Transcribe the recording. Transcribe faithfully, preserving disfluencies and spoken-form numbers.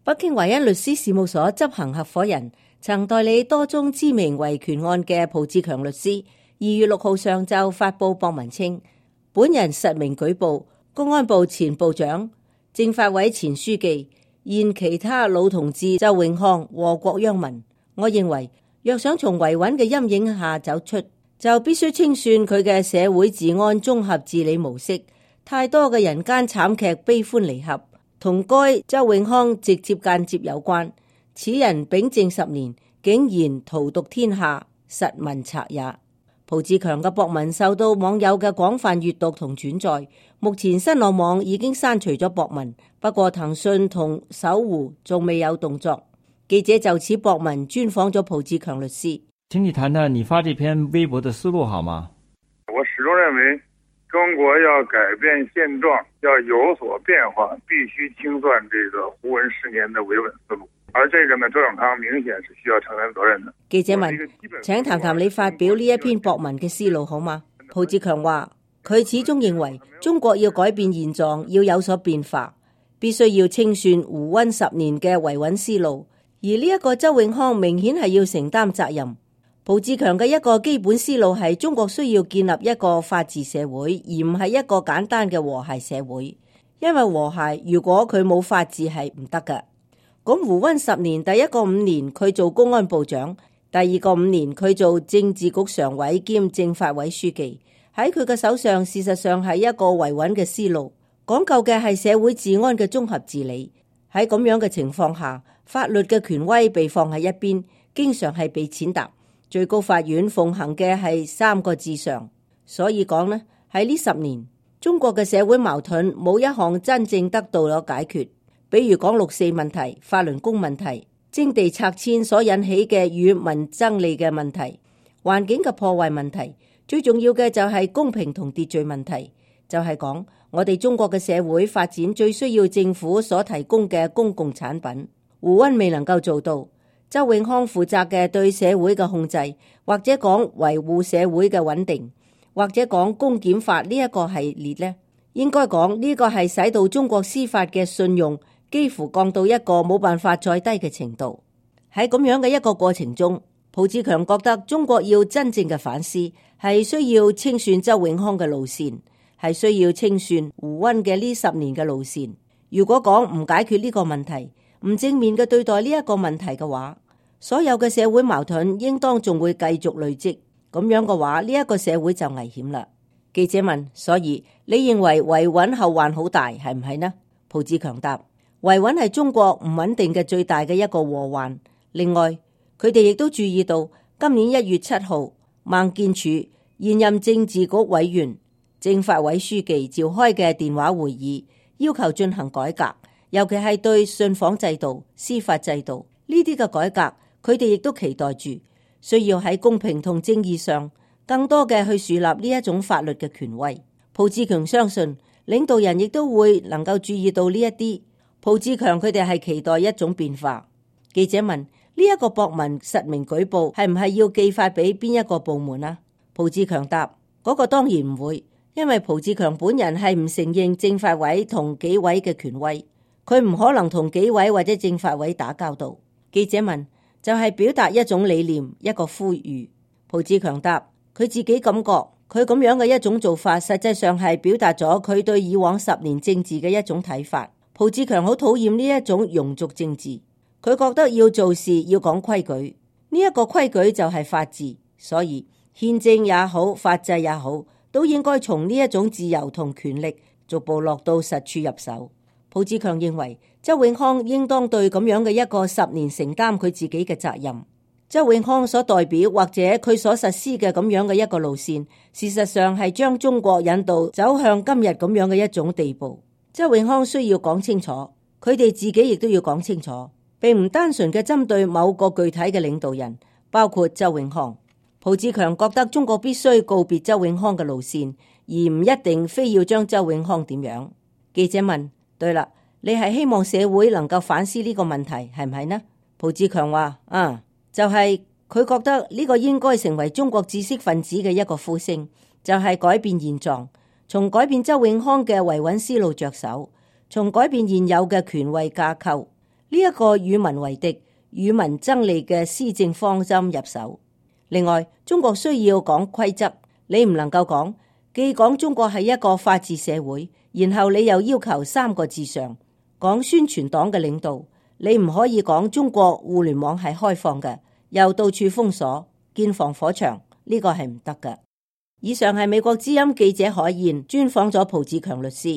北京華恩律師事務所執行合夥人，曾代理多宗知名維權案嘅蒲志強律師，二月六號上晝發佈博文稱，本人實名舉報公安部前部長、政法委前書記、現其他老同志周永康禍國殃民。我認為，若想從維穩嘅陰影下走出，就必須清算佢嘅社會治安綜合治理模式。太多嘅人間慘劇悲歡離合，同該周永康直接間接有關。此人秉政十年，竟然荼毒天下，實問賊也。蒲志強嘅博文受到網友嘅廣泛閱讀同轉載，目前新浪網已經刪除咗博文，不過騰訊同搜狐仲未有動作。記者就此博文專訪咗蒲志強律師。請你談談你發這篇微博的思路好嗎？我始終認為中國要改變現狀，要有所變化，必須清算這個胡文十年的維穩思路。而這個呢，周永康明顯是需要承擔責任的。記者問：請談談你發表呢一篇博文嘅思路好嗎？蒲志強話：佢始終認為中國要改變現狀，要有所變化，必須要清算胡溫十年嘅維穩思路。而呢一個周永康明顯係要承擔責任。蒲志強嘅一個基本思路係中國需要建立一個法治社會，而唔係一個簡單嘅和諧社會。因為和諧如果佢冇法治係唔得㗎。咁胡溫十年，第一個五年佢做公安部長，第二個五年佢做政治局常委兼政法委書記。喺佢嘅手上，事實上係一個維穩嘅思路，講究嘅係社會治安嘅綜合治理。喺咁樣嘅情況下，法律嘅權威被放喺一邊，經常係被踐踏。最高法院奉行嘅係三個至上，所以講呢，喺呢十年，中國嘅社會矛盾冇一項真正得到咗解決。比如講六四問題、法輪功問題、徵地拆遷所引起嘅與民爭利嘅問題、環境嘅破壞問題，最重要嘅就係公平同秩序問題，就係講我哋中國嘅社會發展最需要政府所提供嘅公共產品。胡溫未能夠做到，周永康負責嘅對社會嘅控制，或者講維護社會嘅穩定，或者講公檢法呢一個系列呢，應該講呢個係使到中國司法嘅信用幾乎降到一個冇辦法再低嘅程度。喺咁樣嘅一個過程中，蒲志強覺得中國要真正嘅反思，係需要清算周永康嘅路線，係需要清算胡溫嘅呢十年嘅路線。如果講唔解決呢個問題，唔正面嘅對待呢一個問題嘅話，所有嘅社會矛盾應當仲會繼續累積。咁樣嘅話，呢一個社會就危險啦。記者問：所以你認為維穩後患好大，係唔係呢？蒲志強答：維穩係中國唔穩定嘅最大嘅一個禍患。另外，佢哋亦都注意到今年一月七號，孟建柱現任政治局委員、政法委書記召開嘅電話會議，要求進行改革，尤其係對信訪制度、司法制度呢啲嘅改革，佢哋亦都期待住需要喺公平同正義上更多嘅去樹立呢一種法律嘅權威。蒲志強相信領導人亦都會能夠注意到呢一啲。蒲志強佢哋係期待一種變化。記者問：呢一個博文實名舉報係唔係要寄發俾邊一個部門啊？蒲志強答：嗰個當然唔會，因為蒲志強本人係唔承認政法委同紀委嘅權威，佢唔可能同紀委或者政法委打交道。記者問：就係表達一種理念，一個呼籲。蒲志強答：佢自己感覺佢咁樣嘅一種做法，實際上係表達咗佢對以往十年政治嘅一種睇法。蒲志強好討厭呢一種庸俗政治。佢覺得要做事要講規矩，呢一個規矩就係法治，所以憲政也好，法制也好，都應該從呢一種自由同權力逐步落到實處入手。蒲志強認為周永康應當對咁樣嘅一個十年承擔佢自己嘅責任。周永康所代表或者佢所實施嘅咁樣嘅一個路線，事實上係將中國引導走向今日咁樣嘅一種地步。周永康需要講清楚，佢哋自己亦都要講清楚，並唔單純嘅針對某個具體嘅領導人，包括周永康。蒲志強覺得中國必須告別周永康嘅路線，而唔一定非要將周永康點樣。記者問：對啦，你係希望社會能夠反思呢個問題，係唔係呢？蒲志強話：啊，就係、是、佢覺得呢個應該成為中國知識分子嘅一個呼聲，就係、是、改變現狀，從改變周永康嘅維穩思路着手，從改變現有嘅權威架構。呢一個與民為敵、與民爭利嘅施政方針入手。另外，中國需要講規則，你唔能夠講既講中國係一個法治社會，然後你又要求三個至上。講宣傳黨嘅領導，你唔可以講中國互聯網係開放嘅，又到處封鎖、建防火牆，呢個係唔得嘅。以上係美國之音記者海燕專訪咗蒲志強律師。